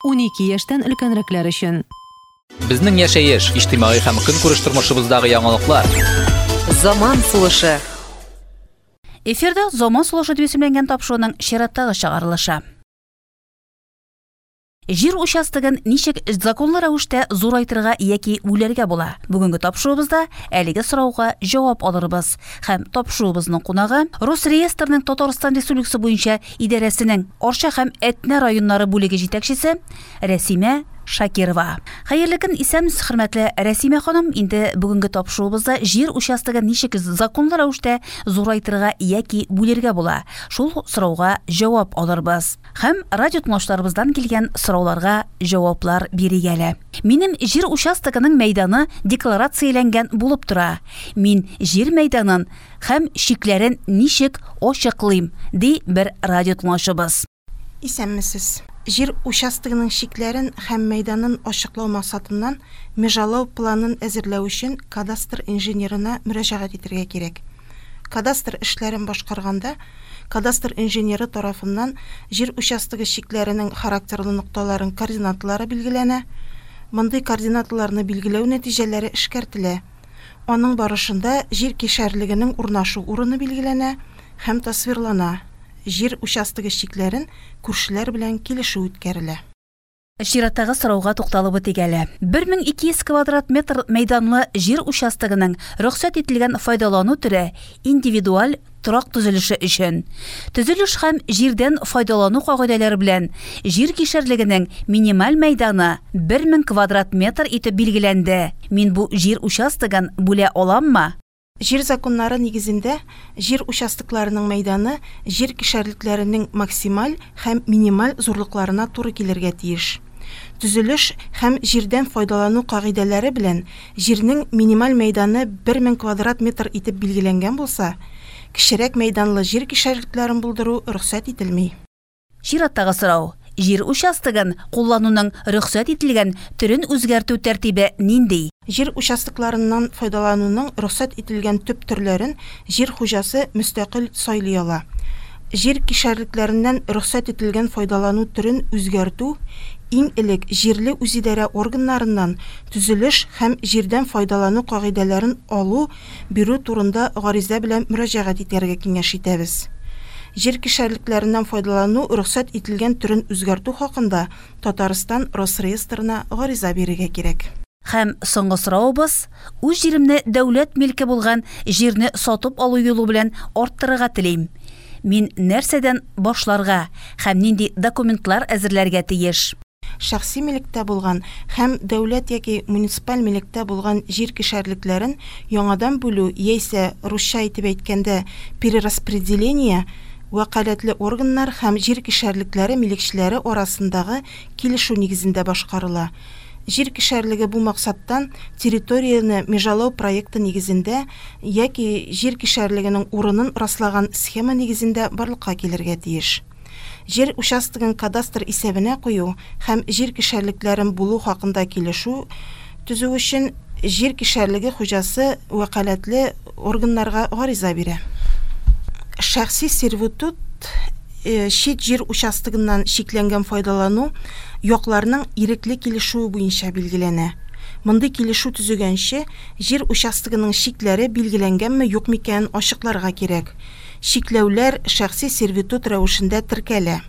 12 яшьтән өлкәнрәкләр өчен. Безнең яшәеш, иҗтимагый һәм көнкүреш тормышыбыздагы яңалыклар. Заман сулышы. Эфирда Заман сулышы дип исемләнгән тапшыруның чираттагы чыгарылышы. Җир участогын ничек законлы рәвештә зурайтырга яки бүләргә була? Бүгенге тапшыруыбызда әлеге сорауга җавап алырбыз. Һәм тапшыруыбызның кунагы Росреестрның Татарстан Республикасы буенча идарәсенең Арча һәм Әтнә районнары бүлеге җитәкчесе Рәсимә Шакирова. Хәерле көн, исәнмесез, хөрмәтле Рәсимә ханым. Инде бүгенге тапшыруыбызда җир участогын ничек законлы рәвештә зурайтырга яки бүлергә була? Шул сорауга җавап алырбыз. Һәм радио тыңлаучыларыбыздан килгән сорауларга җаваплар бирик әле. Минем җир участогының мәйданы декларацияләнгән булып тора. Мин җир мәйданын һәм чикләрен ничек ачыклыйм, ди бер радио тыңлаучыбыз. Исәнмесез. Җир участогының чикләрен һәм мәйданын ачыклау максатыннан межалау планын әзерләү өчен кадастр инженерына мөрәҗәгать итәргә кирәк. Кадастр эшләрен башкарганда, кадастр инженеры тарафыннан җир участогы чикләренең характерлы нокталарын координаталары билгеләнә. Мондый координаталарны билгеләү нәтиҗәләре эшкәртелә. Аның барышында җир кишәрлегенең урнашу урыны билгеләнә һәм тасвирлана, җир участогы чикләрен күршеләр белән килешү үткәрелә. Чираттагы сорауга тукталып үтик әле. 1200 квадрат метр мәйданлы җир участогының рөхсәт ителгән файдалану төре индивидуаль торак төзелеше өчен. Төзелеш һәм җирдән файдалану кагыйдәләре белән җир кишәрлегенең минималь мәйданы 1000 квадрат метр итеп билгеләнде. Мин бу җир участогын бүлә аламмы? Җир законнары нигезендә җир участокларының мәйданы җир кишәрлекләренең максималь һәм минималь зурлыкларына туры килергә тиеш. Төзелеш һәм җирдән файдалану кагыйдәләре белән җирнең минималь мәйданы 1000 квадрат метр итеп билгеләнгән булса, кечерәк мәйданлы җир кишәрлекләрен булдыру рөхсәт ителми. Чираттагы сорау. Җир участогын куллануның рөхсәт ителгән төрен үзгәртү тәртибе нинди? Җир участокларыннан файдалануның рөхсәт ителгән төп төрләрен җир хуҗасы мөстәкыйль сайлый ала. Җир кишәрлекләреннән рөхсәт ителгән файдалану төрен үзгәртү иң элек җирле үзидарә органнарыннан төзелеш һәм җирдән файдалану кагыйдәләрен алу бирү турында гариза белән мөрәҗәгать итәргә киңәш итәбез. Җир кишәрлекләреннән файдалану рөхсәт ителгән төрен үзгәртү хакында Татарстан Росреестрына гариза бирергә кирәк. Һәм соңгы соравыбыз, үз җиремне дәүләт милке булган җирне сатып алу юлы белән арттырырга телим. Мин нәрсәдән башларга һәм нинди документлар әзерләргә тиеш? Шәхси милектә булган һәм дәүләт яки муниципаль милектә булган җир кишәрлекләрен яңадан бүлү яисә, русча итеп әйткәндә, перераспределение, вәкаләтле органнар һәм җир кишәрлекләре милекчеләре арасындагы килешү нигезендә башкарыла. Җир кишәрлеге бу максаттан территорияне межалау проекты нигезендә яки җир кишәрлегенең урынын раслаган схема нигезендә барлыкка килергә тиеш. Җир участогын кадастр исәбенә кую һәм җир кишәрлекләрен булу хакында килешү төзү өчен җир кишәрлеге хуҗасы вәкаләтле органнарга гариза бирә. Шәхси сервитут чит җир участогыннан чикләнгән файдалану якларның ирекле килешүе буенча билгеләнә. Мондый килешү төзегәнче, җир участогының чикләре билгеләнгәнме юкмы икәнен ачыкларга кирәк. Чикләүләр шәхси сервитут рәвешендә теркәлә.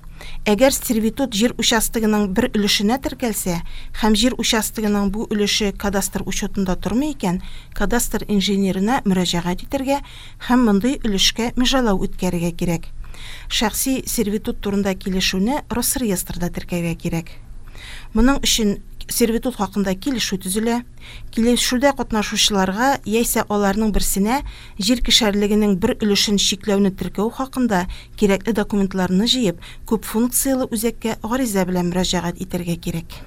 Әгәр сервитут җир участогының бер өлешенә теркәлсә һәм җир участогының бу өлеше кадастр учетында тормый икән, кадастр инженерына мөрәҗәгать итәргә һәм мондый өлешкә межалау үткәрергә кирәк. Шәхси сервитут турында килешүне Росреестрда теркәргә кирәк. Моның өчен сервитут хакында килешү төзелә. Килешүдә катнашучыларга яисә аларның берсенә җир кишәрлегенең бер өлешен чикләүне теркәү хакында кирәкле документларны җыеп, күпфункцияле үзәккә гариза белән мөрәҗәгать итәргә кирәк.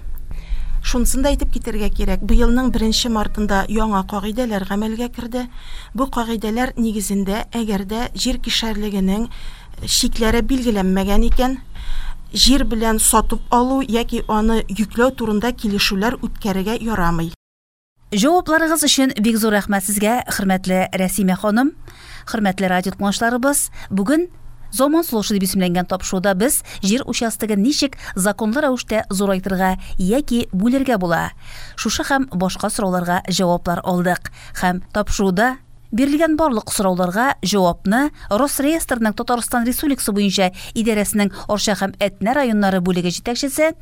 Шунысын да әйтеп китәргә кирәк, быелның беренче мартында яңа кагыйдәләр гамәлгә керде. Бу кагыйдәләр нигезендә, әгәр дә җир кишәрлегенең чикләре билгеләнмәгән икән, җир белән сатып алу яки аны йөкләү турында килешүләр үткәрергә ярамый. Җавапларыгыз өчен бик зур рәхмәт сезгә, хөрмәтле Рәсимә ханым, хөрмәтле радио тыңлаучыларыбыз. Бүген Заман сулышы дип исемләнгән тапшыруда без җир участогын ничек законлы рәвештә зурайтырга яки бүлергә була? Шушы һәм башка сорауларга җаваплар алдык. Һәм тапшыруда бирелгән барлык сорауларга җавапны Росреестрның Татарстан Республикасы буенча идарәсенең Арча һәм Әтнә районнары бүлеге җитәкчесе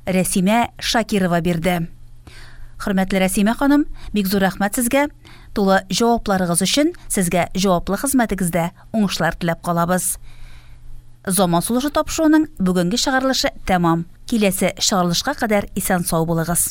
Рәсимә Шакирова бирде. Хөрмәтле Рәсимә ханым, бик зур рәхмәт сезгә. Тулы җавапларыгыз өчен сезгә җаваплы хезмәтегездә уңышлар теләп калабыз. Заман сулышы тапшыруының бүгенге чыгарылышы тәмам. Киләсе чыгарылышка кадәр исән сау булыгыз.